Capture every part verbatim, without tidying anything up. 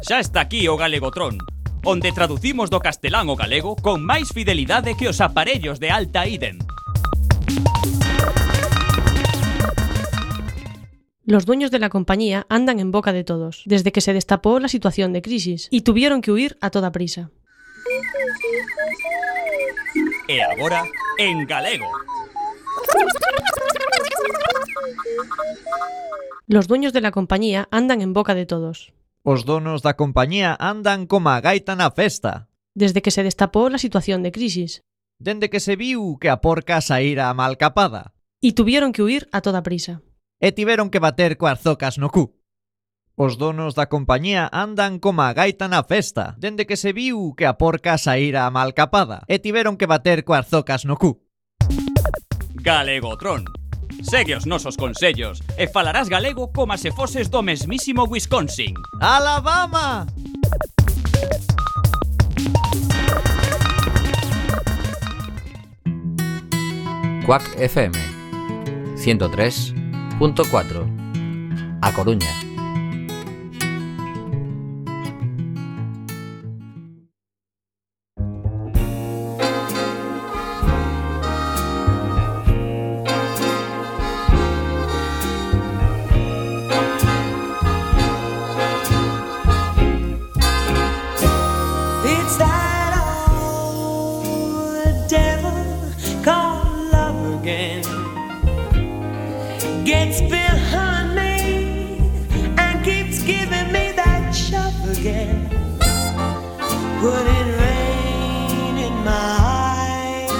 Xa está aquí o Galegotrón, onde traducimos do castelán ao galego con máis fidelidade que os aparellos de alta idem. Los dueños de la compañía andan en boca de todos, desde que se destapó la situación de crisis, y tuvieron que huir a toda prisa. E agora, en galego. Los dueños de la compañía andan en boca de todos. Os donos da compañía andan como a gaita na festa. Desde que se destapó la situación de crisis. Dende que se viu que a porca saíra a malcapada. Y tuvieron que huir a toda prisa. E tiveron que bater coas zocas no cu. Os donos da compañía andan como a gaita na festa. Dende que se viu que a porca saíra a malcapada. E tiveron que bater coas zocas no cu. Galegotrón. Segue os nosos consellos e falarás galego como se foses do mesmísimo Wisconsin. Alabama! Quack F M ciento tres punto cuatro A Coruña. Gets behind me and keeps giving me that shove again. Putting rain in my eyes,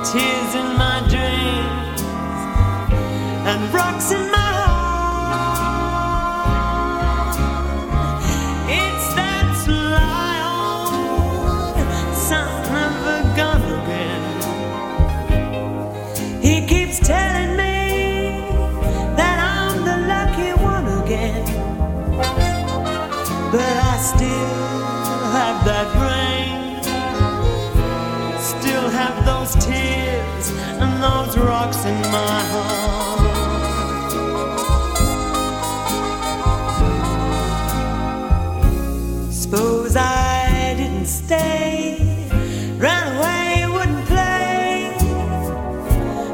tears in my dreams, and rocks in my heart. It's that sly old son of a gun again. He keeps telling me but I still have that rain, still have those tears and those rocks in my heart. Suppose I didn't stay, ran away, wouldn't play.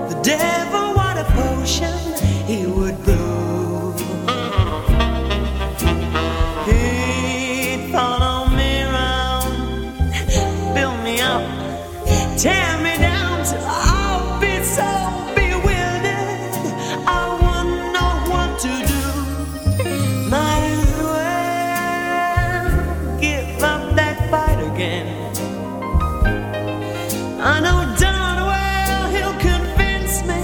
The devil, what a potion he would brew. Tear me down till I'll be so bewildered I wouldn't know what to do. Might as well give up that fight again. I know darn well he'll convince me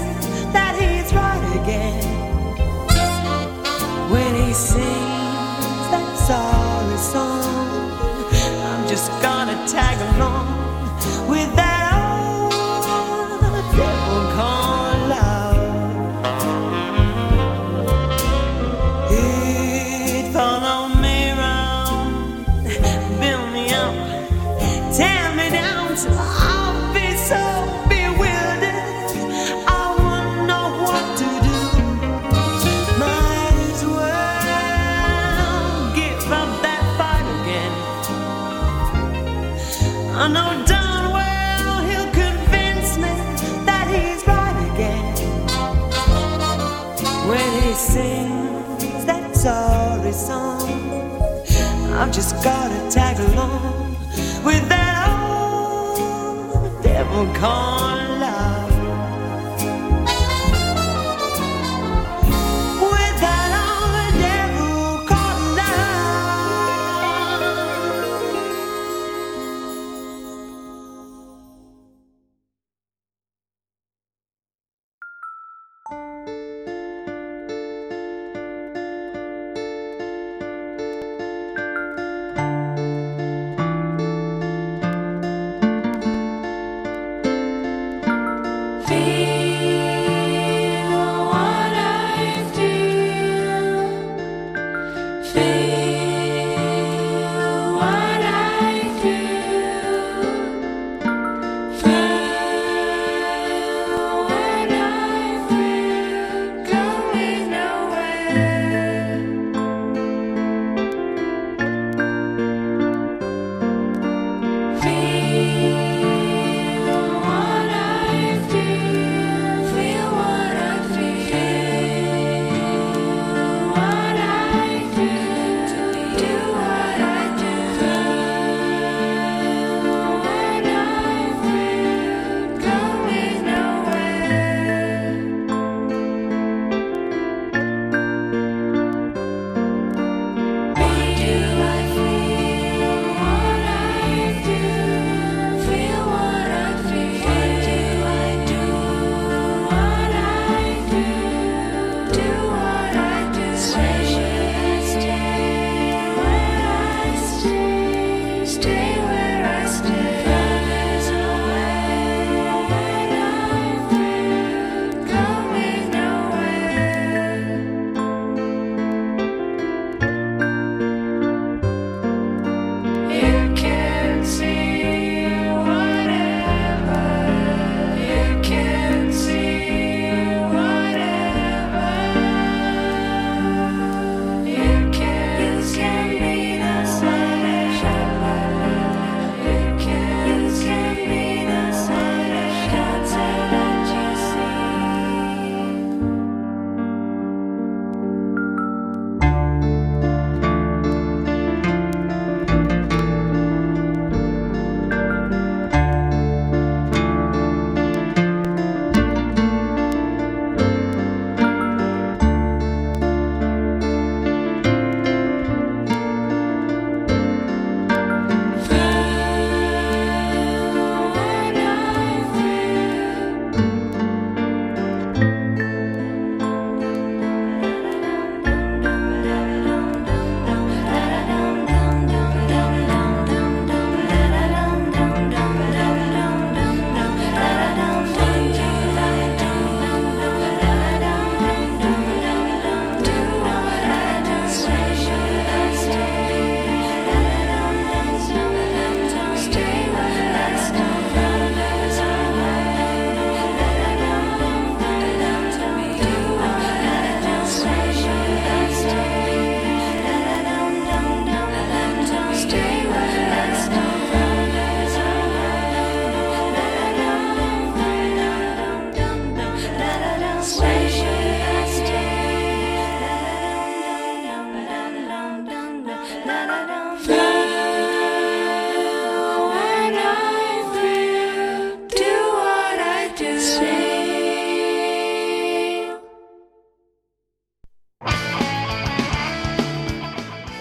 that he's right again when he sings that sorry song. I'm just gonna tag along with that I know darn well he'll convince me that he's right again when he sings that sorry song. I've just gotta tag along with that old devil called love. With that old devil called love.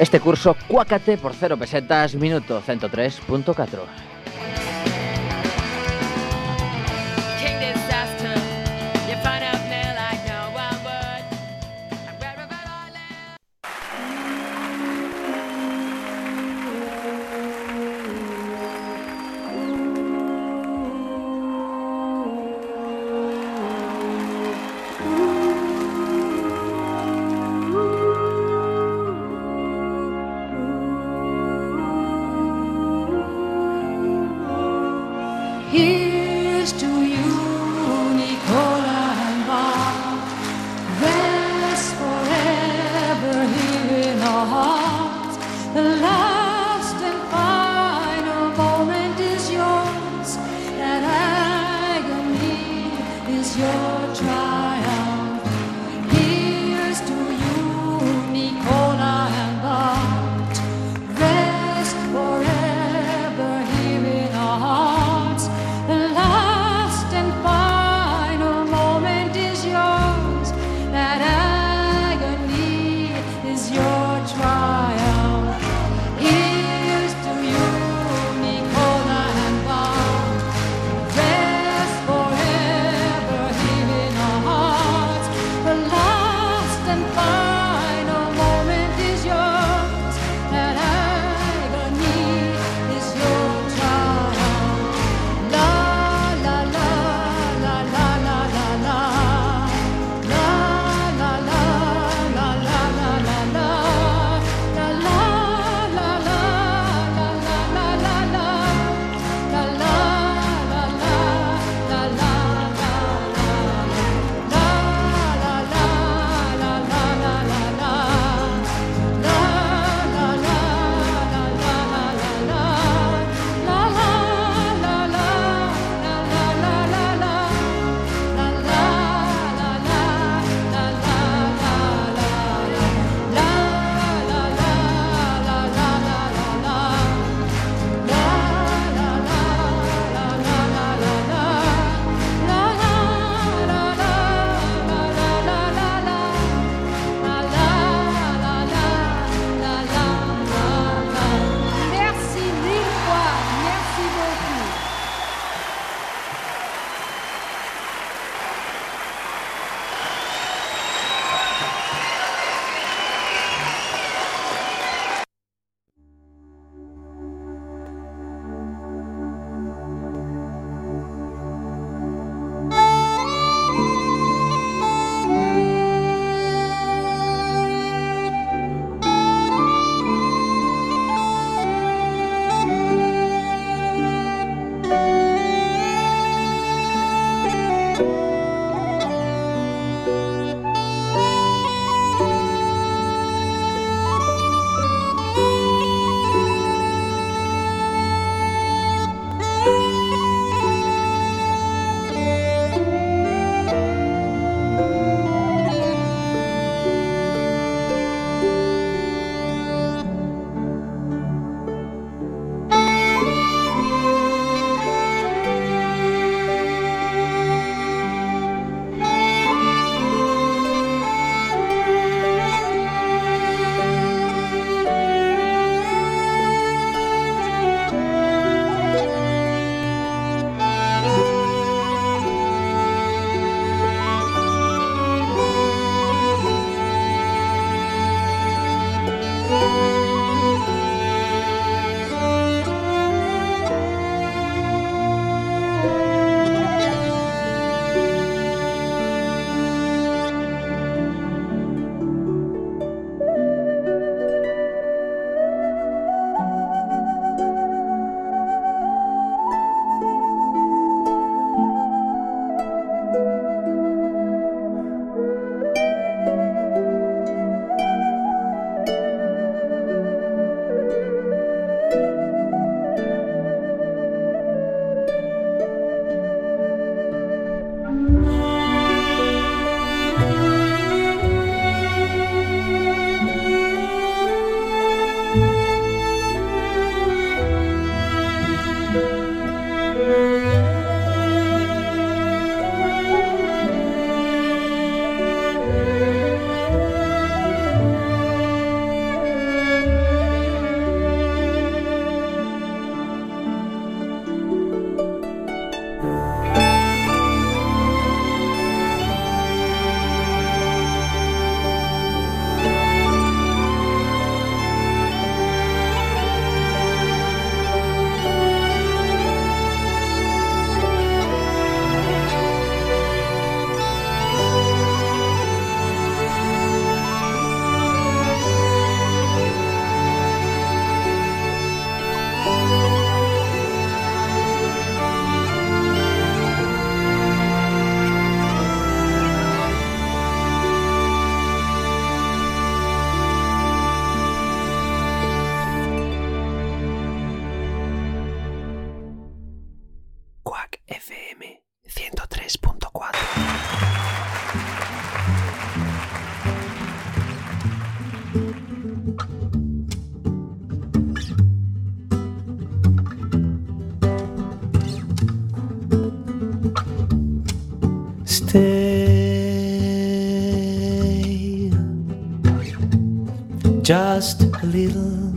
Este curso cuácate por cero pesetas, minuto ciento tres punto cuatro. Here's to you, Nicola and Bob. Rest forever here in our hearts. The last and final moment is yours. That agony is your triumph. Here's to you, Nicola and Bob. Rest forever here in our hearts. The last and final M ciento tres punto cuatro. Stay just a little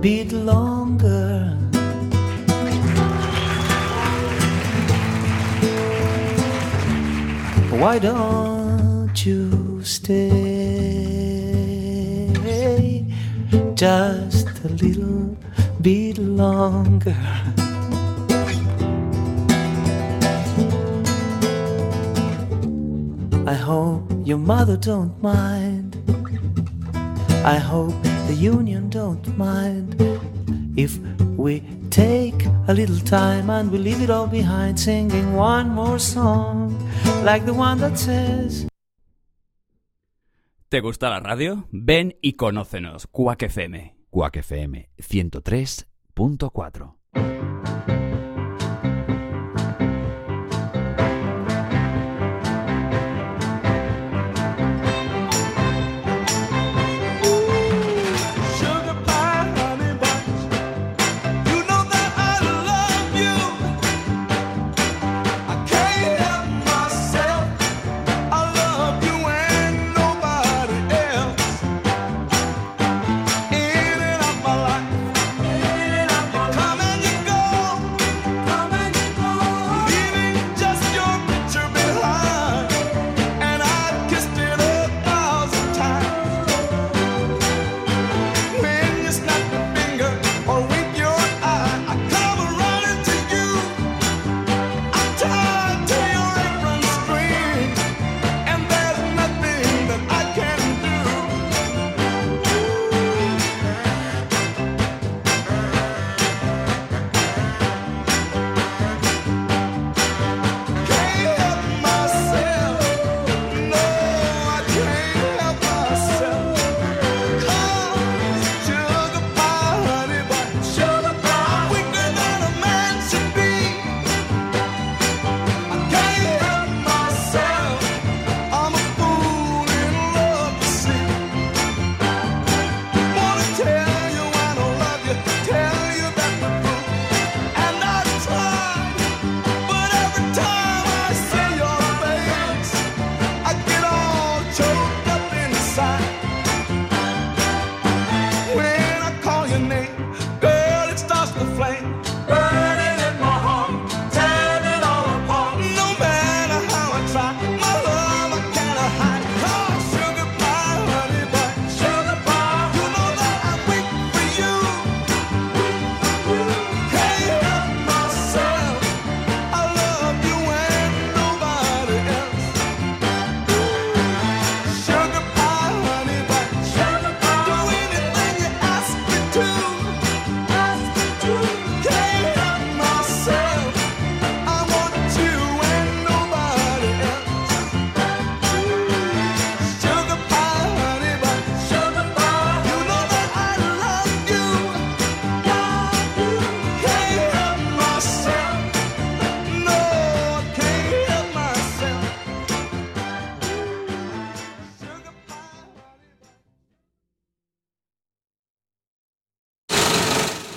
bit longer. Why don't you stay just a little bit longer? I hope your mother don't mind. I hope the union don't mind if we take a little time and we leave it all behind, singing one more song like the one that says. ¿Te gusta la radio? Ven y conócenos. Quack F M. Quack F M ciento tres punto cuatro.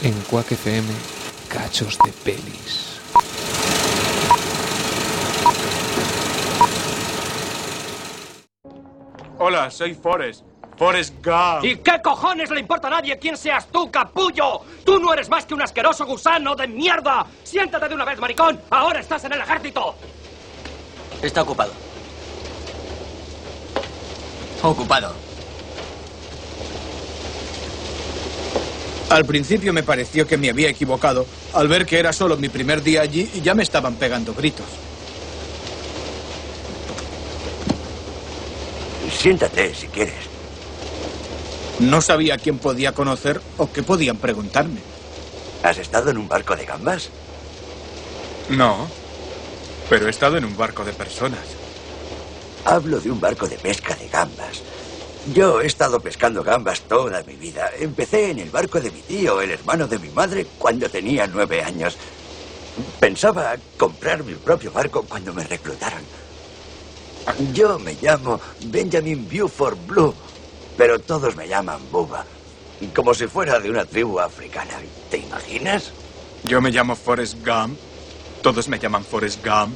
En Quack F M, cachos de pelis. Hola, soy Forrest. Forrest Gump. ¿Y qué cojones le importa a nadie quién seas tú, capullo? Tú no eres más que un asqueroso gusano de mierda. Siéntate de una vez, maricón. Ahora estás en el ejército. Está ocupado. Ocupado. Al principio me pareció que me había equivocado al ver que era solo mi primer día allí y ya me estaban pegando gritos. Siéntate si quieres. No sabía quién podía conocer o qué podían preguntarme. ¿Has estado en un barco de gambas? No, pero he estado en un barco de personas. Hablo de un barco de pesca de gambas. Yo he estado pescando gambas toda mi vida. Empecé en el barco de mi tío, el hermano de mi madre, cuando tenía nueve años. Pensaba comprar mi propio barco cuando me reclutaron. Yo me llamo Benjamin Buford Blue, pero todos me llaman Bubba, como si fuera de una tribu africana. ¿Te imaginas? Yo me llamo Forrest Gump. Todos me llaman Forrest Gump.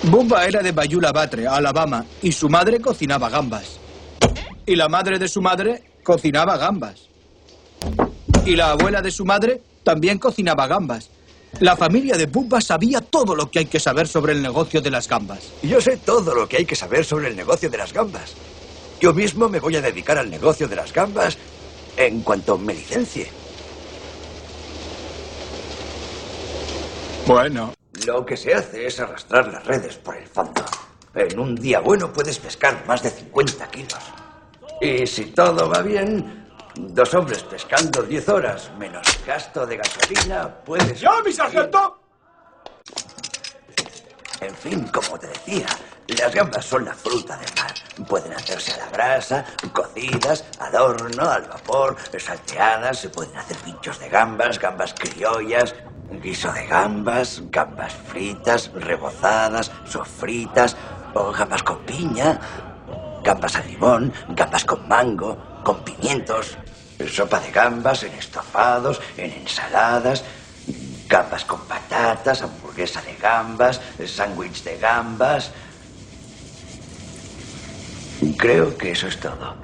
Bubba era de Bayula Batre, Alabama, y su madre cocinaba gambas. Y la madre de su madre cocinaba gambas. Y la abuela de su madre también cocinaba gambas. La familia de Bubba sabía todo lo que hay que saber sobre el negocio de las gambas. Yo sé todo lo que hay que saber sobre el negocio de las gambas. Yo mismo me voy a dedicar al negocio de las gambas en cuanto me licencie. Bueno. Lo que se hace es arrastrar las redes por el fondo. En un día bueno puedes pescar más de cincuenta kilos. Y si todo va bien, dos hombres pescando diez horas menos gasto de gasolina, puedes... ¡Ya, mi sargento! En fin, como te decía, las gambas son la fruta del mar. Pueden hacerse a la brasa, cocidas, al horno, al vapor, salteadas, se pueden hacer pinchos de gambas, gambas criollas, guiso de gambas, gambas fritas, rebozadas, sofritas, o gambas con piña, gambas al limón, gambas con mango, con pimientos, sopa de gambas en estofados, en ensaladas, gambas con patatas, hamburguesa de gambas, sándwich de gambas. Creo que eso es todo.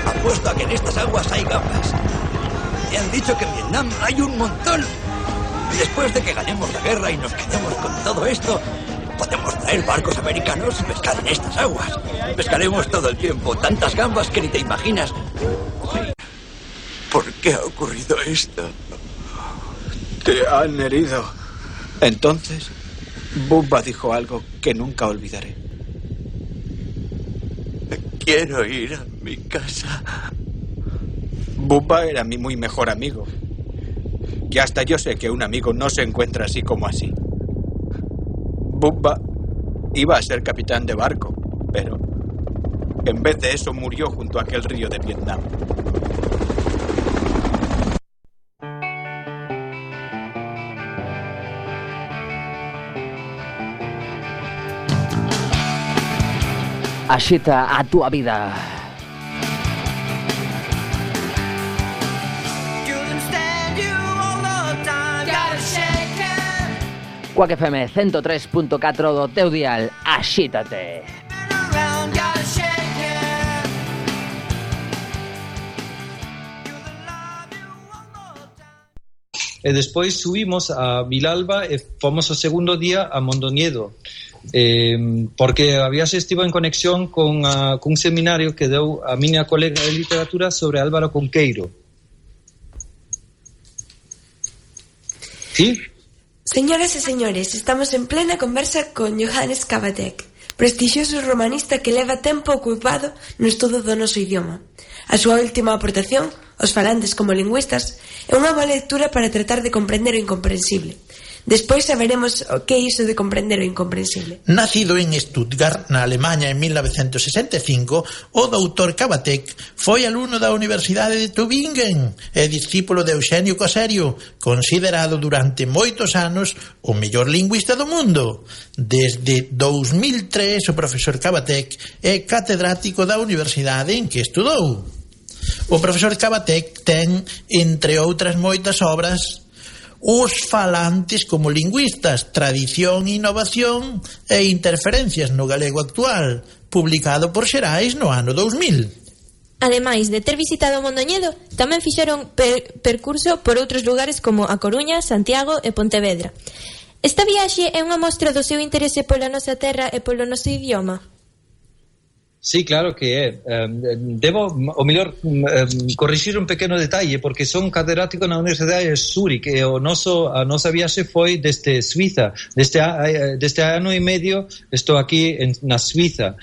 Apuesto a que en estas aguas hay gambas. Me han dicho que en Vietnam hay un montón. Después de que ganemos la guerra y nos quedemos con todo esto, podemos traer barcos americanos y pescar en estas aguas. Pescaremos todo el tiempo, tantas gambas que ni te imaginas. ¿Por qué ha ocurrido esto? Te han herido. Entonces, Bubba dijo algo que nunca olvidaré. Quiero ir a mi casa. Bubba era mi muy mejor amigo. Y hasta yo sé que un amigo no se encuentra así como así. Bubba iba a ser capitán de barco, pero en vez de eso murió junto a aquel río de Vietnam. Axita a túa vida. Quack F M ciento tres punto catro do teu dial. Axítate. E despois subimos a Vilalba e fomos o segundo día a Mondoñedo, eh, porque había se estivo en conexión con a, cun seminario que deu a miña colega de literatura sobre Álvaro Conqueiro. ¿Sí? Señoras e señores, estamos en plena conversa con Johannes Cavatek, prestixioso romanista que leva tempo ocupado no estudo do noso idioma. A súa última aportación, os falantes como lingüistas, é unha boa lectura para tratar de comprender o incomprensible. Despois saberemos o que é iso de comprender o incomprensible. Nacido en Stuttgart, na Alemanha, en mil novecentos sesenta e cinco, o doutor Cavatek foi alumno da Universidade de Tübingen e discípulo de Eugenio Coserio, considerado durante moitos anos o mellor lingüista do mundo. Desde dous mil tres, o profesor Cavatek é catedrático da universidade en que estudou. O profesor Cavatek ten, entre outras moitas obras, Os falantes como lingüistas, tradición, innovación e interferencias no galego actual, publicado por Xerais no ano dous mil. Ademais de ter visitado Mondoñedo, tamén fixeron per percurso por outros lugares como A Coruña, Santiago e Pontevedra. Esta viaxe é unha mostra do seu interese pola nosa terra e polo noso idioma? Sí, claro que é. Um, debo, o mellor, um, corrixir un pequeno detalle, porque son catedrático na Universidade de Zúrich e o noso, a nosa viaxe foi desde Suiza. Deste, deste ano e medio estou aquí en, na Suiza.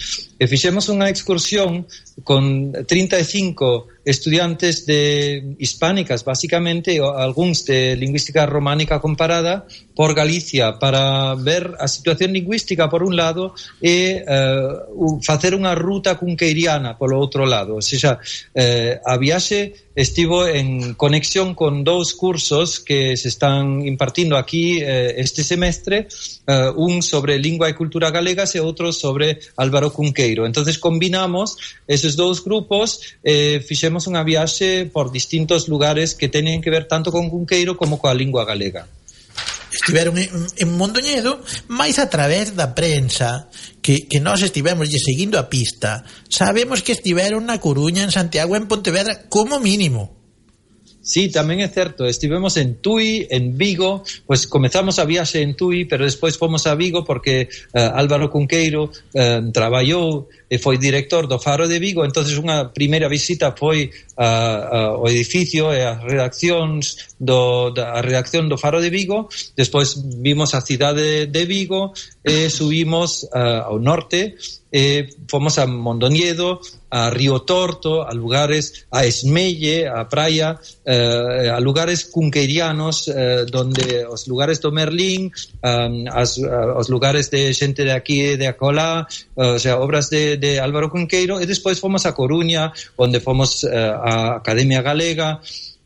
e fixemos unha excursión con trinta e cinco estudiantes de hispánicas, basicamente, o algúns de lingüística románica comparada, por Galicia, para ver a situación lingüística por un lado e uh, facer unha ruta cunqueiriana polo outro lado. O sea, eh, a viaxe estivo en conexión con dous cursos que se están impartindo aquí eh, este semestre, eh, un sobre lingua e cultura galegas e outro sobre Álvaro Cunqueiro. Entonces combinamos esos dous grupos e eh, fixemos unha viaxe por distintos lugares que teñen que ver tanto con Cunqueiro como coa lingua galega. Estiveron en, en Mondoñedo, máis a través da prensa que, que nós estivemos lle seguindo a pista, sabemos que estiveron na Coruña, en Santiago, en Pontevedra, como mínimo. Sí, tamén é certo, estivemos en Tui, en Vigo, pues comezamos a viaxe en Tui, pero despois fomos a Vigo porque uh, Álvaro Cunqueiro uh, traballou e foi director do Faro de Vigo, entonces unha primeira visita foi uh, uh, ao edificio e as redaccións do, da, a redacción do Faro de Vigo, despois vimos a cidade de Vigo e subimos uh, ao norte e fomos a Mondoñedo, a Río Torto, a lugares, a Esmelle, a praia, eh, a lugares cunqueirianos, eh, donde os lugares do Merlín, um, as, uh, os lugares de xente de aquí e de acolá, uh, o sea, obras de, de Álvaro Cunqueiro, e despois fomos a Coruña, onde fomos uh, a Academia Galega,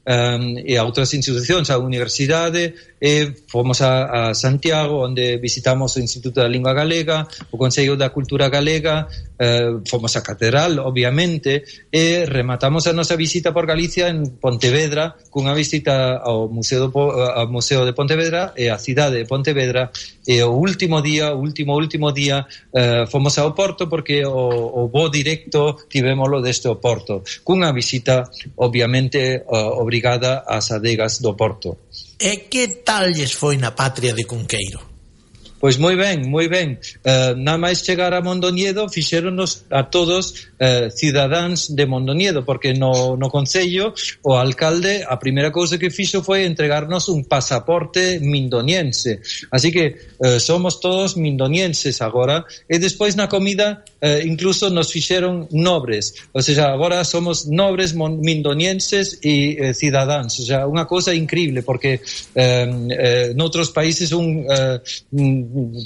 Um, e a outras institucións, a universidade, e fomos a, a Santiago, onde visitamos o Instituto da Lingua Galega, o Consello da Cultura Galega, uh, fomos a Catedral, obviamente, e rematamos a nosa visita por Galicia en Pontevedra, cunha visita ao Museo, do, ao Museo de Pontevedra e a cidade de Pontevedra, e o último día, o último, último día, uh, fomos ao Porto, porque o, o voo directo tivémolo deste o Porto, cunha visita, obviamente, uh, obrigada ás adegas do Porto. E que tal lles foi na patria de Cunqueiro? Pois moi ben, moi ben. Uh, nada máis chegar a Mondoñedo fixéronos a todos uh, cidadáns de Mondoñedo, porque no, no Concello o alcalde a primeira cousa que fixo foi entregarnos un pasaporte mindoniense. Así que uh, somos todos mindonienses agora, e despois na comida uh, incluso nos fixeron nobres. O sea, agora somos nobres mindonienses e uh, cidadáns. O sea, unha cousa increíble, porque uh, uh, noutros países un... Uh,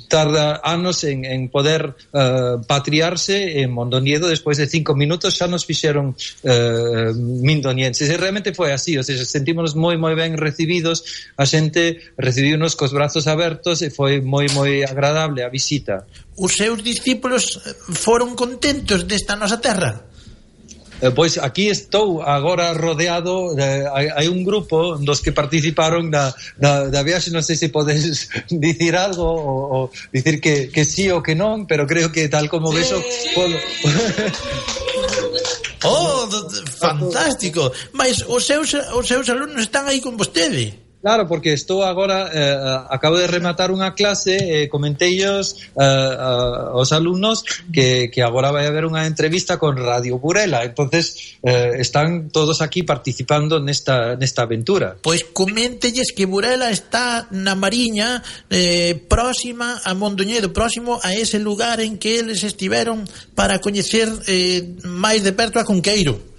tarda anos en, en poder uh, patriarse. En Mondoñedo, despois de cinco minutos xa nos fixeron uh, mindonienses, e realmente foi así, o sea, sentímonos moi moi ben recibidos, a xente recibiunos cos brazos abertos e foi moi moi agradable a visita. Os seus discípulos foron contentos desta nosa terra? Eh, pois aquí estou agora rodeado de, hai, hai un grupo dos que participaron da, da, da viaxe, non sei se podes dicir algo ou, ou dicir que, que sí ou que non, pero creo que tal como ves o polo... Oh, fantástico. Mas os seus, os seus alumnos están aí con vostede? Claro, porque estou agora, eh, acabo de rematar unha clase e eh, comenteillos eh, eh, aos alumnos que, que agora vai haber unha entrevista con Radio Burela, entonces eh, están todos aquí participando nesta, nesta aventura. Pois coméntelles que Burela está na Mariña, eh, próxima a Mondoñedo, próximo a ese lugar en que eles estiveron para coñecer eh, máis de perto a Cunqueiro.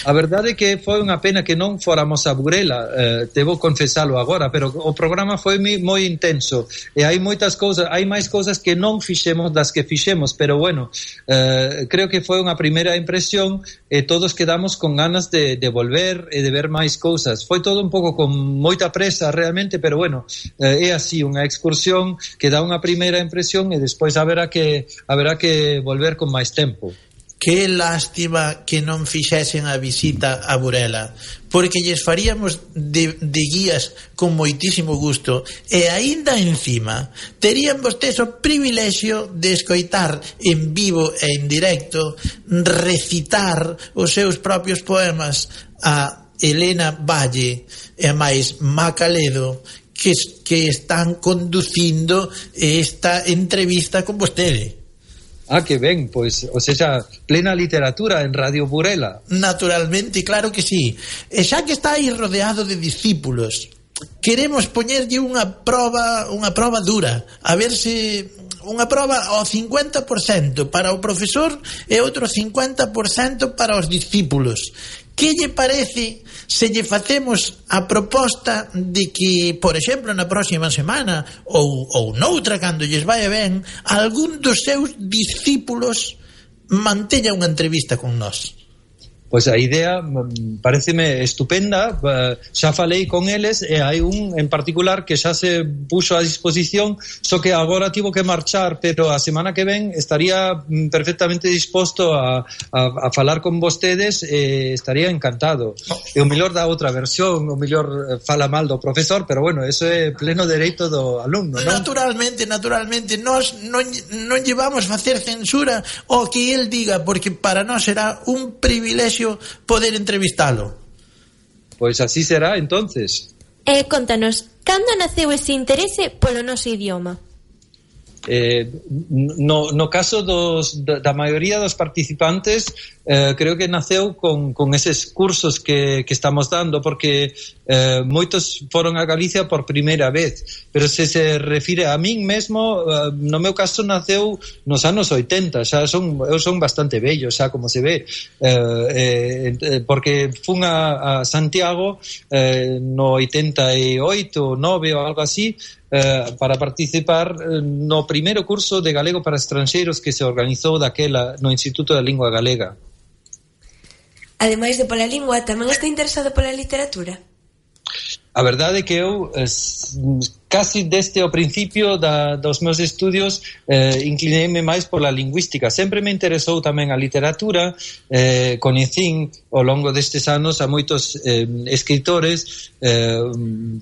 A verdade é que foi unha pena que non fóramos a Burela, eh, debo confesalo agora, pero o programa foi moi intenso e hai moitas cousas, hai máis cousas que non fixemos das que fixemos, pero bueno, eh, creo que foi unha primeira impresión e todos quedamos con ganas de, de volver e de ver máis cousas. Foi todo un pouco con moita presa realmente, pero bueno, eh, é así, unha excursión que dá unha primeira impresión e despois haberá que, haberá que volver con máis tempo. Que lástima que non fixesen a visita a Burela, porque lles faríamos de, de guías con moitísimo gusto, e aínda encima terían vostedes o privilexio de escoitar en vivo e en directo recitar os seus propios poemas a Elena Valle e a máis Macaledo, que, que están conducindo esta entrevista con vostede. Ah, que ben, pois, o sea, plena literatura en Radio Burela. Naturalmente, claro que sí. E xa que está aí rodeado de discípulos, queremos poñerlle unha proba, unha proba dura, a ver se unha proba ao cincuenta por cento para o profesor e outro cincuenta por cento para os discípulos. Que lle parece se lle facemos a proposta de que, por exemplo, na próxima semana ou, ou noutra, cando lles vai ben, algún dos seus discípulos manteña unha entrevista con nós? Pois a idea pareceme estupenda, xa falei con eles e hai un en particular que xa se puxo a disposición, só que agora tivo que marchar, pero a semana que ven estaría perfectamente disposto a, a, a falar con vostedes e estaría encantado. E o mellor da outra versión, o mellor fala mal do profesor, pero bueno, eso é pleno dereito do alumno, non? Naturalmente, naturalmente, nós non, non llevamos facer censura o que el diga, porque para nós será un privilexio poder entrevistalo. Pois así será, entonces. Eh, contanos, cando naceu ese interese polo noso idioma? Eh, no, no caso dos, da, da maioría dos participantes, eh, creo que naceu con, con eses cursos que, que estamos dando, porque eh, moitos foron a Galicia por primeira vez, pero se se refire a min mesmo, eh, no meu caso naceu nos anos oitenta, xa son, eu son bastante vello, xa como se ve, eh, eh, porque fun a, a Santiago eh, no oitenta e oito, nove ou algo así, Uh, para participar uh, no primeiro curso de galego para estranxeiros que se organizou daquela no Instituto da Lingua Galega. Ademais de pola lingua, tamén está interesado pola literatura? A verdade é que eu eh, casi desde o principio da, dos meus estudios eh, inclineime máis pola lingüística. Sempre me interesou tamén a literatura, eh, coñecín ao longo destes anos a moitos eh, escritores, eh,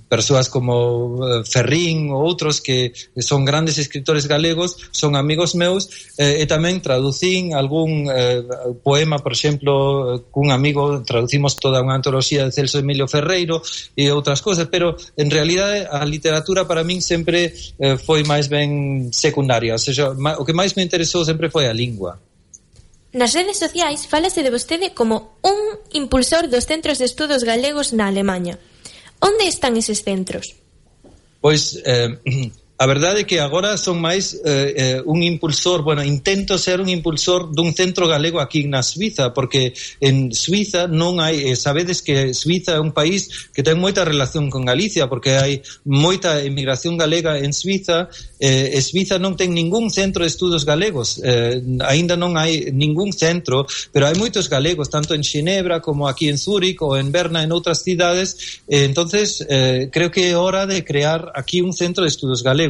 persoas como eh, Ferrín ou outros que son grandes escritores galegos, son amigos meus, eh, e tamén traducín algún eh, poema, por exemplo, cun amigo traducimos toda unha antoloxía de Celso Emilio Ferreiro e outras cousas, pero en realidade a literatura para min sempre eh, foi máis ben secundaria, ou seja, o que máis me interesou sempre foi a lingua. Nas redes sociais fálase de vostede como un impulsor dos centros de estudos galegos na Alemaña. Onde están eses centros? Pois eh, a verdade é que agora son máis eh, eh, un impulsor, bueno, intento ser un impulsor dun centro galego aquí na Suiza, porque en Suiza non hai, eh, sabedes que Suiza é un país que ten moita relación con Galicia, porque hai moita emigración galega en Suiza, eh, e Suiza non ten ningún centro de estudos galegos, eh, aínda non hai ningún centro, pero hai moitos galegos, tanto en Xinebra como aquí en Zúrich ou en Berna, en outras cidades, eh, entonces eh, creo que é hora de crear aquí un centro de estudos galegos.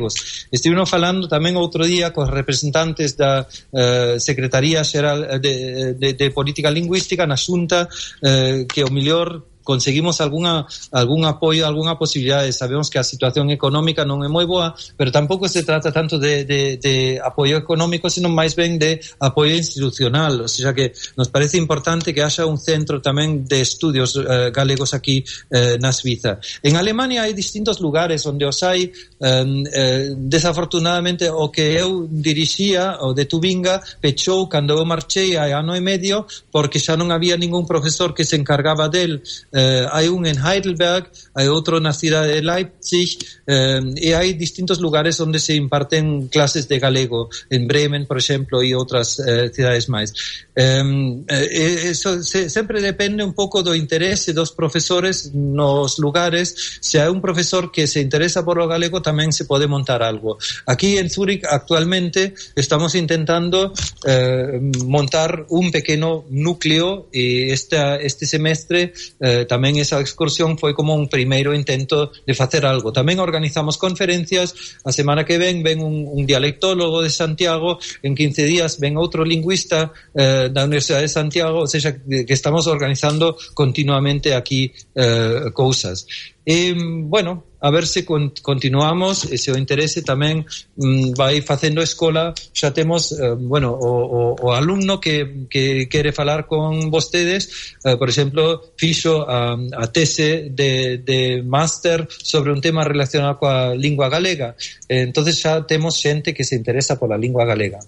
Estive falando tamén outro día cos representantes da eh, Secretaría Xeral de, de, de Política Lingüística na Xunta, eh, que o mellor conseguimos alguna, algún apoio, alguna posibilidade. Sabemos que a situación económica non é moi boa, pero tampouco se trata tanto de, de, de apoio económico, sino máis ben de apoio institucional. O sea que nos parece importante que haxa un centro tamén de estudios eh, galegos aquí eh, na Suiza. En Alemania hai distintos lugares onde os hai, eh, eh, desafortunadamente o que eu dirixía, o de Tubinga, pechou cando eu marchei hai ano e medio, porque xa non había ningún profesor que se encargaba del. Eh, hai un en Heidelberg, hai outro na cidade de Leipzig, eh, e hai distintos lugares onde se imparten clases de galego, en Bremen, por exemplo, e outras eh, cidades máis. Eh, eh, eso se, sempre depende un pouco do interese dos profesores nos lugares. Se hai un profesor que se interesa por o galego, tamén se pode montar algo. Aquí en Zúrich actualmente estamos intentando eh, montar un pequeno núcleo, e esta, este semestre eh, tamén esa excursión foi como un primeiro intento de facer algo. Tamén organizamos conferencias, a semana que ven ven un, un dialectólogo de Santiago, en quince días ven outro lingüista eh, da Universidade de Santiago, ou seja, que estamos organizando continuamente aquí eh, cousas. E, bueno, a ver se con, continuamos, e se o interese tamén mm, vai facendo escola. Xa temos, eh, bueno, o, o, o alumno que, que quere falar con vostedes, eh, por exemplo, fixo a, a tese de, de máster sobre un tema relacionado coa lingua galega. Eh, entonces xa temos xente que se interesa pola lingua galega.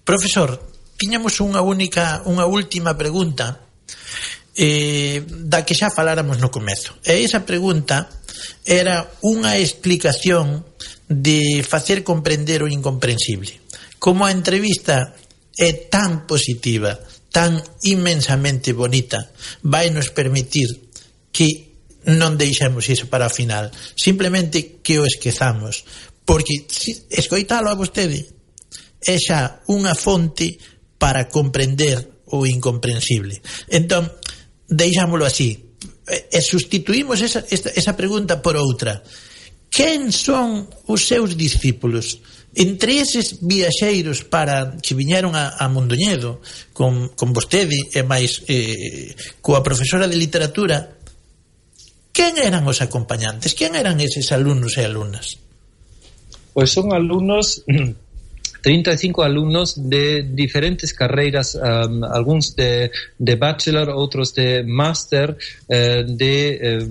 Profesor, tiñamos unha única, unha última pregunta, eh, da que xa faláramos no comezo. E esa pregunta era unha explicación de facer comprender o incomprensible. Como a entrevista é tan positiva, tan inmensamente bonita, vai nos permitir que non deixemos iso para o final, simplemente que o esquezamos, porque escoitalo a vostede é xa unha fonte para comprender o incomprensible. Entón, deixámolo así e sustituímos esa, esa, esa pregunta por outra. Quen son os seus discípulos? Entre eses viaxeiros para que viñeron a, a Mondoñedo con, con vostede e máis eh, coa profesora de literatura, quen eran os acompañantes? Quen eran eses alumnos e alumnas? Pois son alumnos, treinta e cinco alumnos de diferentes carreiras, um, algúns de, de bachelor, outros de máster, eh, de eh,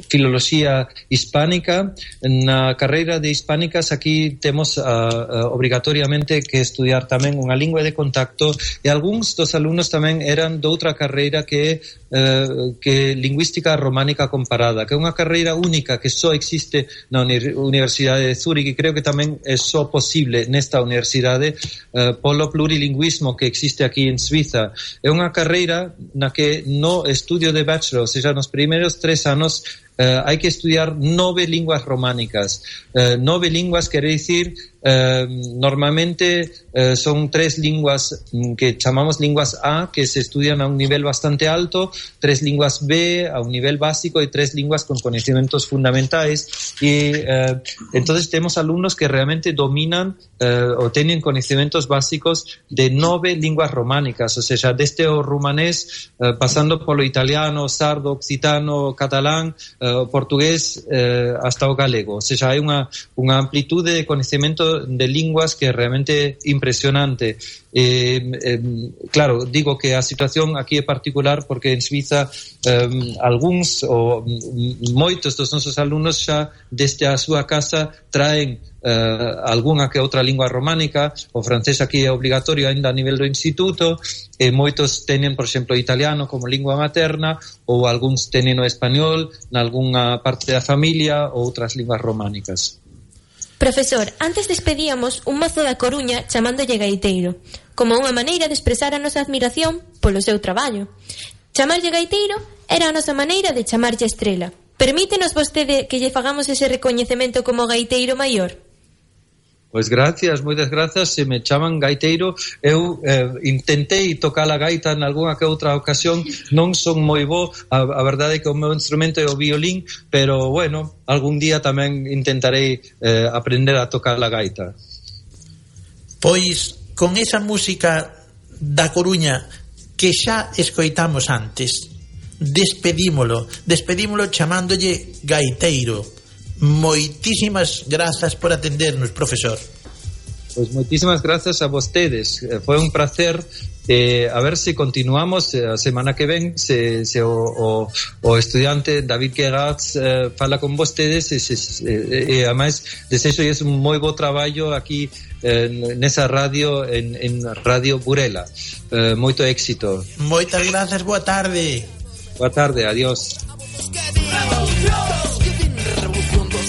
filoloxía hispánica. Na carreira de hispánicas aquí temos uh, uh, obrigatoriamente que estudiar tamén unha lingua de contacto, e algúns dos alumnos tamén eran de outra carreira que Uh, que lingüística románica comparada, que é unha carreira única que só existe na uni- Universidade de Zúrich, e creo que tamén é só posible nesta universidade uh, polo plurilingüismo que existe aquí en Suiza. É unha carreira na que no estudio de bachelor, ou seja, nos primeiros tres anos, Uh, hai que estudiar nove linguas románicas. Uh, nove linguas quere dicir, uh, normalmente uh, son tres linguas que chamamos linguas A, que se estudian a un nivel bastante alto, tres linguas B a un nivel básico e tres linguas con conocimientos fundamentais. E uh, entonces temos alumnos que realmente dominan uh, o teñen conocimientos básicos de nove linguas románicas, ou seja, desde o rumanés, uh, pasando polo italiano, sardo, occitano, catalán, uh, o portugués eh, hasta o galego. Ou seja, hai unha, unha amplitude de conhecimento de linguas que é realmente impresionante. Eh, eh, claro, digo que a situación aquí é particular porque en Suiza eh, algúns ou moitos dos nosos alumnos xa desde a súa casa traen Uh, algunha que outra lingua románica. O francés aquí é obligatorio ainda a nivel do instituto, e moitos teñen, por exemplo, o italiano como lingua materna, ou algúns teñen o español nalgúnha parte da familia, ou outras linguas románicas. Profesor, antes despedíamos un mozo da Coruña chamándolle gaiteiro, como unha maneira de expresar a nosa admiración polo seu traballo. Chamarlle gaiteiro era a nosa maneira de chamarlle estrela. Permítenos vostede que lle fagamos ese recoñecemento como gaiteiro maior? Pois gracias, moitas grazas. Se me chaman gaiteiro, eu eh, intentei tocar a gaita en algunha que outra ocasión, non son moi bo, a, a verdade é que o meu instrumento é o violín, pero bueno, algún día tamén intentarei eh, aprender a tocar a gaita. Pois con esa música da Coruña que xa escoitamos antes, despedímolo, despedímolo chamándolle gaiteiro. Moitísimas grazas por atendernos, profesor. Pois moitísimas grazas a vostedes. Foi un placer. Eh, a ver se continuamos a semana que ven, se, se o, o, o estudiante David Geratz eh, fala con vostedes, e, se, e, e ademais desexo es un moi bo traballo aquí eh, nesa radio, en, en Radio Burela. Eh, moito éxito. Moitas grazas, boa tarde. Boa tarde, adiós.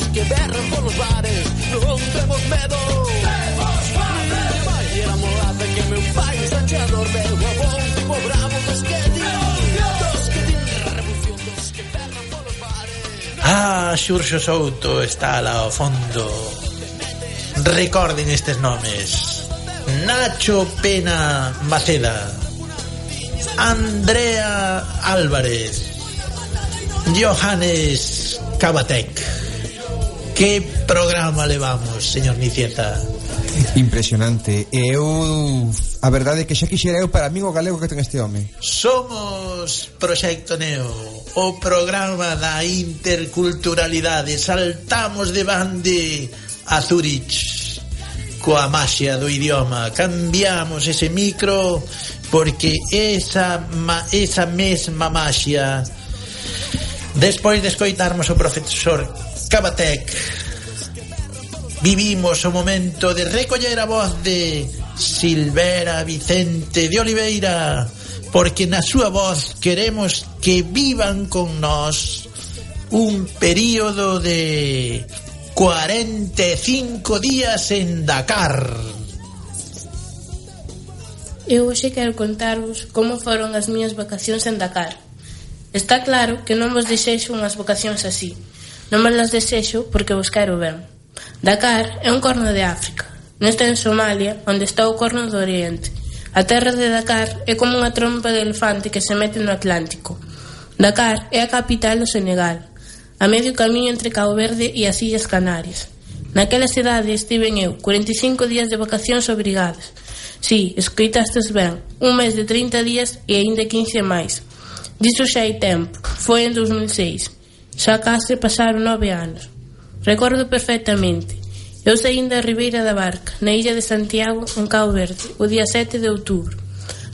Que berran polos bares, non temos medo. Temos fame. Vai ir a molada que meu pai sancheador meu avón tipo bravo dos que din, dos que din revolución, dos que berran polos bares. Ah, Xurxo Souto está lá ao fondo. Recorden estes nomes: Nacho Pena Maceda, Andrea Álvarez, Johannes Cabatec. Que programa levamos, señor Nicieta? Impresionante. Eu, a verdade é que xa quixera eu para mí o galego que ten este home. Somos Proxecto Neo, o programa da interculturalidade. Saltamos de bande a Zurich coa maxia do idioma. Cambiamos ese micro porque esa, ma, esa mesma maxia, despois de escoitarmos o profesor Cabatec, vivimos o momento de recoller a voz de Silvera Vicente de Oliveira, porque na súa voz queremos que vivan con nós un período de cuarenta e cinco días en Dakar. Eu hoxe quero contarvos como foron as miñas vacacións en Dakar. Está claro que non vos desexo unhas vacacións así. Non vos las desexo porque vos quero ben. Dakar é un corno de África. Non está en Somalia, onde está o corno do Oriente. A terra de Dakar é como unha trompa de elefante que se mete no Atlántico. Dakar é a capital do Senegal, a medio camiño entre Cabo Verde e as Illas Canarias. Naquela cidade estiven eu cuarenta e cinco días de vacacións obrigadas. Si, escoitastes ben, un mes de trinta días e aínda quince máis. Diso xa hai tempo, foi en dos mil seis. Xa case pasaron nove anos. Recordo perfectamente. Eu saín da Ribeira da Barca, na illa de Santiago, en Cabo Verde, o día sete de outubro.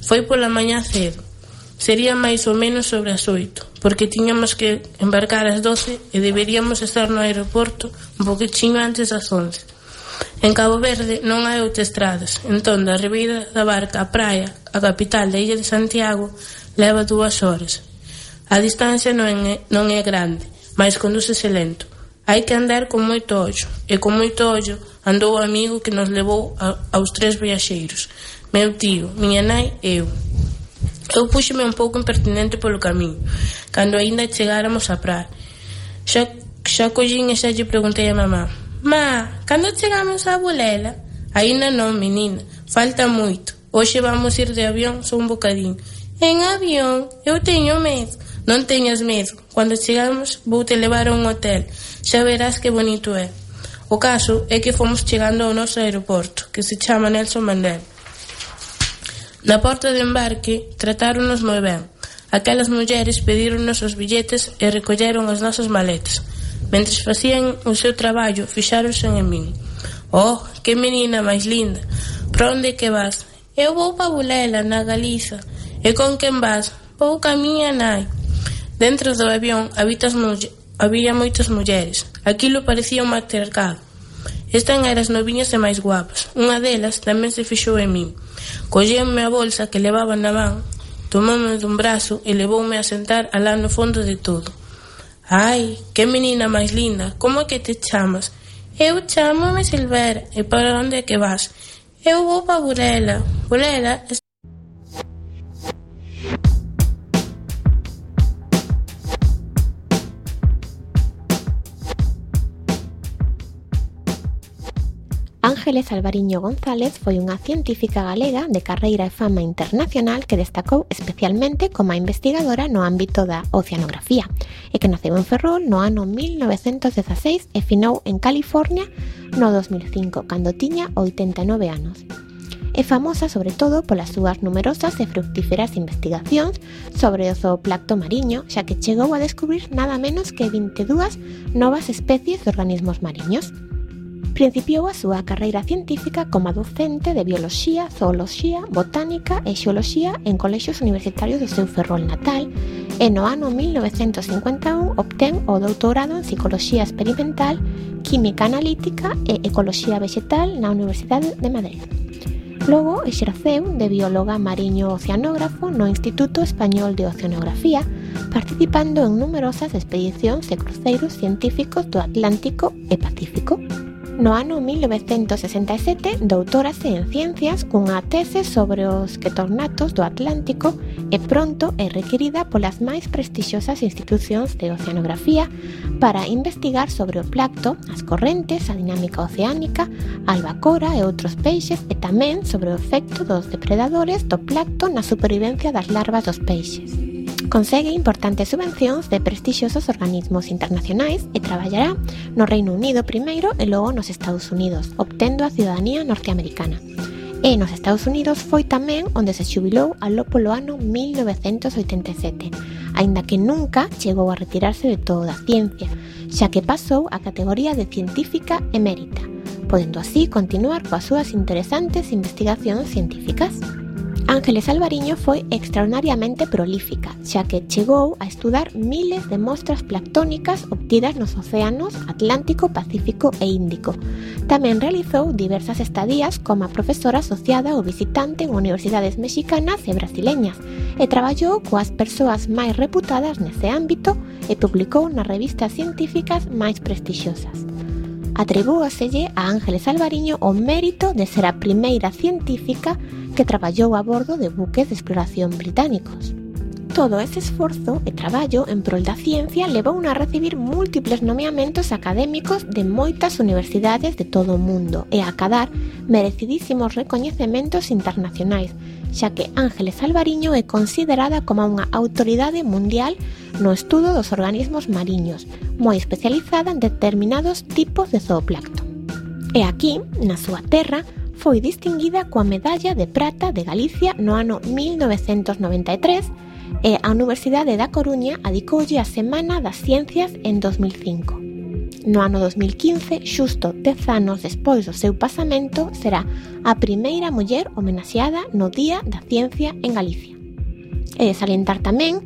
Foi pola mañá cedo. Sería máis ou menos sobre as oito, porque tiñamos que embarcar ás doce e deberíamos estar no aeroporto un poquinho antes das once. En Cabo Verde non hai autoestradas, entón da Ribeira da Barca á praia, a capital da illa de Santiago, leva dúas horas. A distancia non é, non é grande, mas condúcese lento. Hai que andar con moito ollo, e con moito ollo andou o amigo que nos levou a, aos tres viaxeiros, meu tío, miña nai e eu. Eu puxeme un pouco impertinente polo camiño, cando aínda chegáramos á praia. Xa, xa collín e xa lle preguntei a mamá: Ma, cando chegamos a Bulela? Aínda non, menina, falta moito. Hoxe vamos ir de avión só un bocadín. En avión? Eu teño medo. Non teñas medo. Cando chegamos vou te levar a un hotel. Xa verás que bonito é. O caso é que fomos chegando ao noso aeroporto, que se chama Nelson Mandela. Na porta de embarque tratáronos moi ben. Aquelas mulleres pedíronnos os billetes e recolleron as nosas maletas. Mentres facían o seu traballo, fixáronse en min. Oh, que menina máis linda. Para onde que vas? Eu vou pa Bulela, na Galiza. E con quen vas? Vou ca miña nai. Dentro do avión habitas mulle... había moitas mulleres. Aquilo parecía un matriarcado. Estas eran as noviñas e máis guapas. Unha delas tamén se fixou en min. Colleume a bolsa que levaba na man, tomoume dun brazo e levoume a sentar alá no fondo de todo. Ai, que menina máis linda, como é que te chamas? Eu chámome Silvera. E para onde é que vas? Eu vou pa Bulela. Bulela... Ángeles Alvariño González foi unha científica galega de carreira e fama internacional que destacou especialmente como a investigadora no ámbito da oceanografía e que naceu en Ferrol no ano mil novecentos dezaseis e finou en California no dos mil cinco, cando tiña oitenta e nove anos. É famosa sobre todo polas súas numerosas e fructíferas investigacións sobre o zooplancto mariño, xa que chegou a descubrir nada menos que vinte e dúas novas especies de organismos mariños. Principiou a súa carreira científica como docente de bioloxía, zooloxía, botánica e xeoloxía en colexios universitarios do seu Ferrol natal e no ano mil novecentos cincuenta e un obtén o doutorado en psicoloxía experimental, química analítica e ecoloxía vegetal na Universidade de Madrid. Logo exerceu de bióloga mariño oceanógrafo no Instituto Español de Oceanografía, participando en numerosas expedicións e cruceiros científicos do Atlántico e Pacífico. No ano mil novecentos sesenta e sete doutorase en ciencias cunha tese sobre os ketornatos do Atlántico e pronto é requerida polas máis prestixiosas institucións de oceanografía para investigar sobre o plancto, as correntes, a dinámica oceánica, a albacora e outros peixes e tamén sobre o efecto dos depredadores do plancto na supervivencia das larvas dos peixes. Consegue importantes subvencións de prestixiosos organismos internacionais e traballará no Reino Unido primeiro e logo nos Estados Unidos, obtendo a ciudadanía norteamericana. E nos Estados Unidos foi tamén onde se xubilou aló polo ano mil novecentos oitenta e sete, aínda que nunca chegou a retirarse de toda a ciencia, xa que pasou a categoría de científica emérita, podendo así continuar coas súas interesantes investigacións científicas. Ángeles Alvariño foi extraordinariamente prolífica, xa que chegou a estudar miles de mostras planctónicas obtidas nos océanos Atlántico, Pacífico e Índico. Tamén realizou diversas estadías como profesora asociada ou visitante en universidades mexicanas e brasileñas e traballou coas persoas máis reputadas nese ámbito e publicou nas revistas científicas máis prestixiosas. Atribúaselle a Ángeles Alvariño o mérito de ser a primeira científica que traballou a bordo de buques de exploración británicos. Todo ese esforzo e traballo en prol da ciencia levouno a recibir múltiples nomeamentos académicos de moitas universidades de todo o mundo e a acadar merecidísimos recoñecementos internacionais, xa que Ángeles Alvariño é considerada como unha autoridade mundial no estudo dos organismos mariños, moi especializada en determinados tipos de zooplancton. E aquí, na súa terra, foi distinguida coa Medalla de Prata de Galicia no ano mil novecentos noventa e tres e a Universidade da Coruña adicoulle a Semana das Ciencias en dos mil cinco. No ano dos mil quince, xusto dez anos despois do seu pasamento, será a primeira muller homenaxeada no Día da Ciencia en Galicia. E de salientar tamén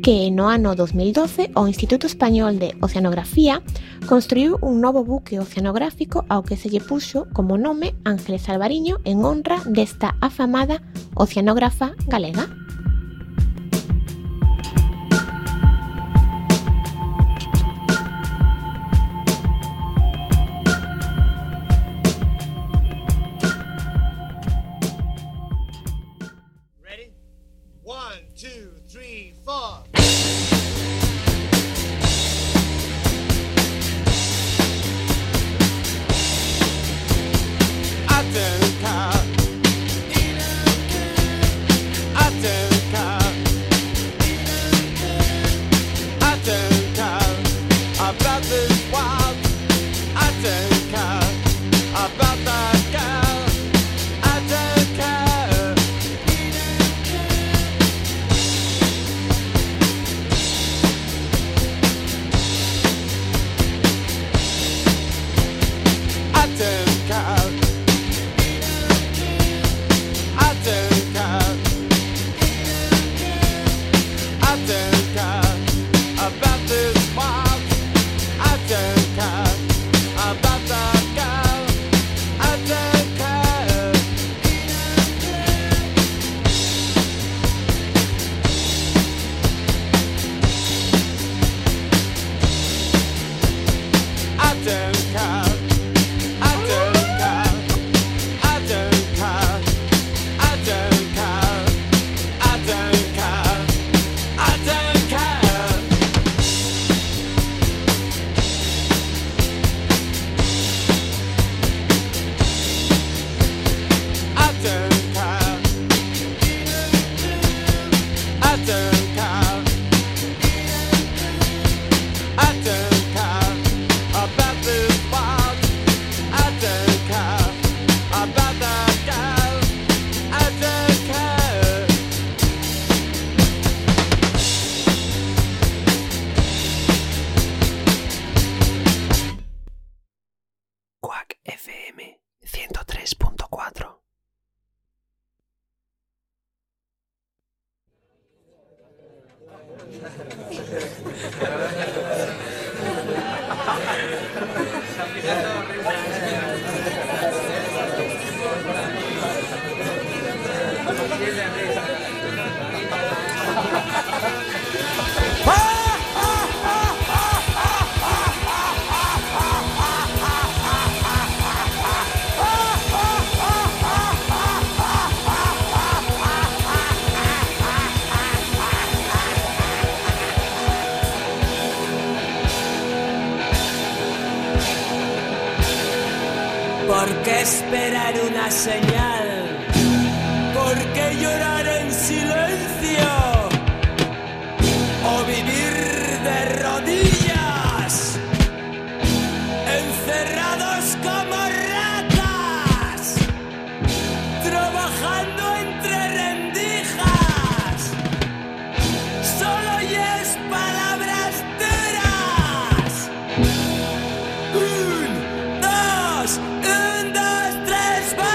que no ano dos mil doce o Instituto Español de Oceanografía construiu un novo buque oceanográfico ao que se lle puxo como nome Ángeles Alvariño en honra desta afamada oceanógrafa galega. ¿Por qué esperar una señal? ¿Por qué llorar en silencio? ¿O vivir de rodillas? Encerrados como ratas, trabajando entre rendijas. Solo oyes palabras duras. Un, dos, un, dos, tres, va.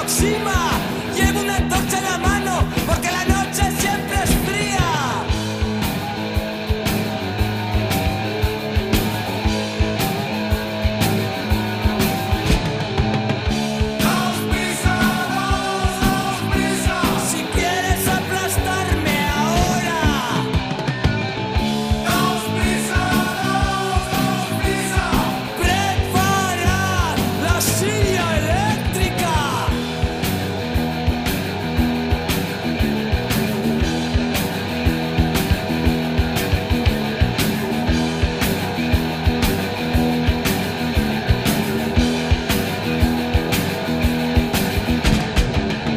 aproxima. Llevo una antorcha en la mano porque la noche siempre es fría. Si quieres aplastarme ahora, preparad la silla eléctrica.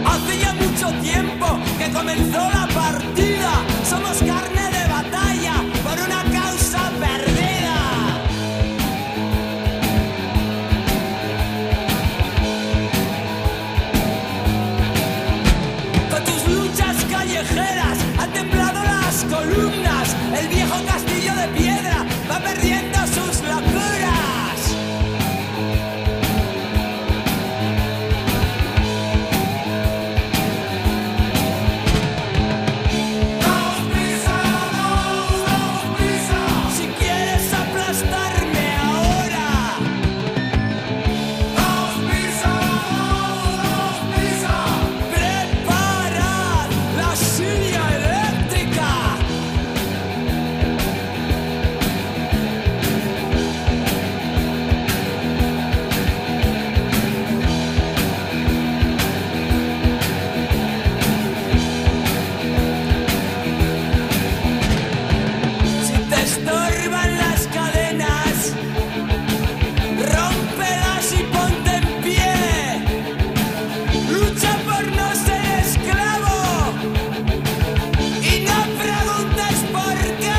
Hace ya mucho tiempo que comenzó la partida. Somos carne de batalla por una causa perdida. Con tus luchas callejeras han temblado las columnas. El viejo castillo de piedra va perdiendo sus locuras. Si quieres aplastarme ahora, preparad la silla eléctrica. Si te estorban las cadenas, rómpelas y ponte en pie. Lucha por no ser esclavo y no preguntes por qué.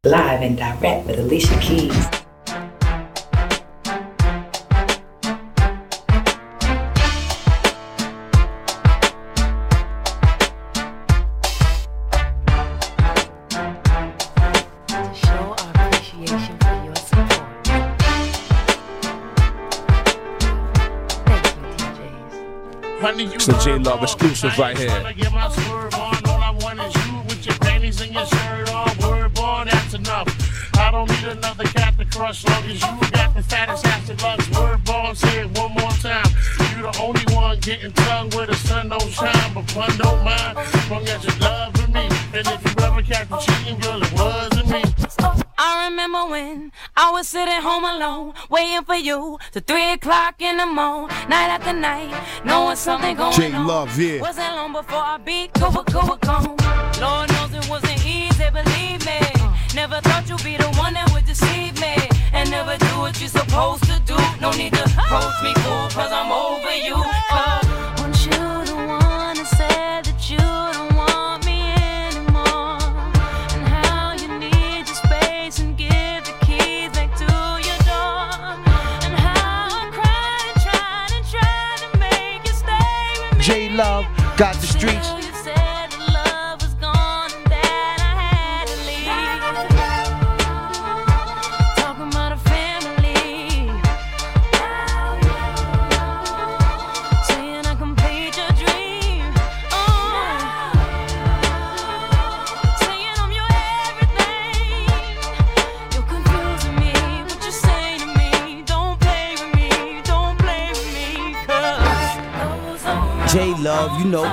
Live and direct with Alicia Keys. To show our appreciation for your support. Thank you, D Js. It's the J Love exclusive right here. Get my swerve on, all I want is you with your panties and your shirt on. Word born, that's enough. I don't need another cat to crush long as you got the fattest ass that loves. Word born, say it one more time. You the only one getting tongue where the sun don't shine, but fun don't mind. Long as you love for me, and if you ever catch me cheating, girl, it wasn't me. I remember when I was sitting home alone, waiting for you till three o'clock in the morning, night after night, knowing something going J on. Love, yeah. Wasn't long before I beat go go gone. Lord knows it wasn't easy, believe me. Never thought you'd be the one that would deceive me and never do what you're supposed to do. No need to approach me, fool, cause I'm over you. Cause weren't you the one that said that you don't want me anymore? And how you need your space and give the keys back to your door. And how I cried and tried and tried to make you stay with me. J Love got the streets. You said that love was gone and that I had to leave. Talking about a family. Saying I complete your dream. Oh. Saying I'm your everything. You're confusing me. What you say to me? Don't play with me. Don't play with me. Cause J Love, you know.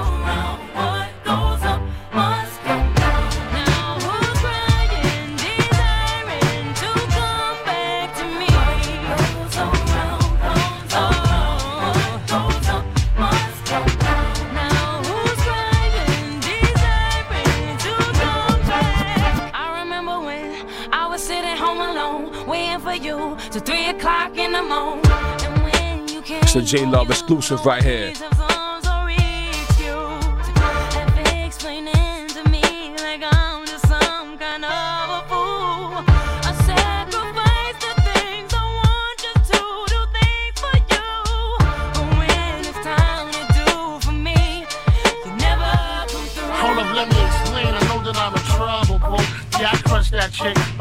To three o'clock in the morning, and when you came, It's the J Love exclusive right here. explaining to me like I'm just some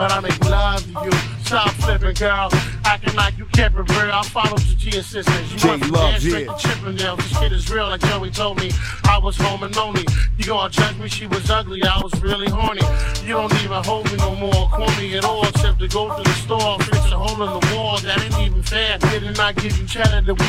but I make love to you. Stop flipping, girl. Acting like you kept it real. I followed the G assistants. You J went from Love, there straight yeah. to Chippendale. This kid is real, like Joey told me. I was home and lonely. You gonna judge me? She was ugly. I was really horny. You don't even hold me no more, call me at all, except to go to the store, fix a hole in the wall. That ain't even fair. Didn't I give you cheddar the week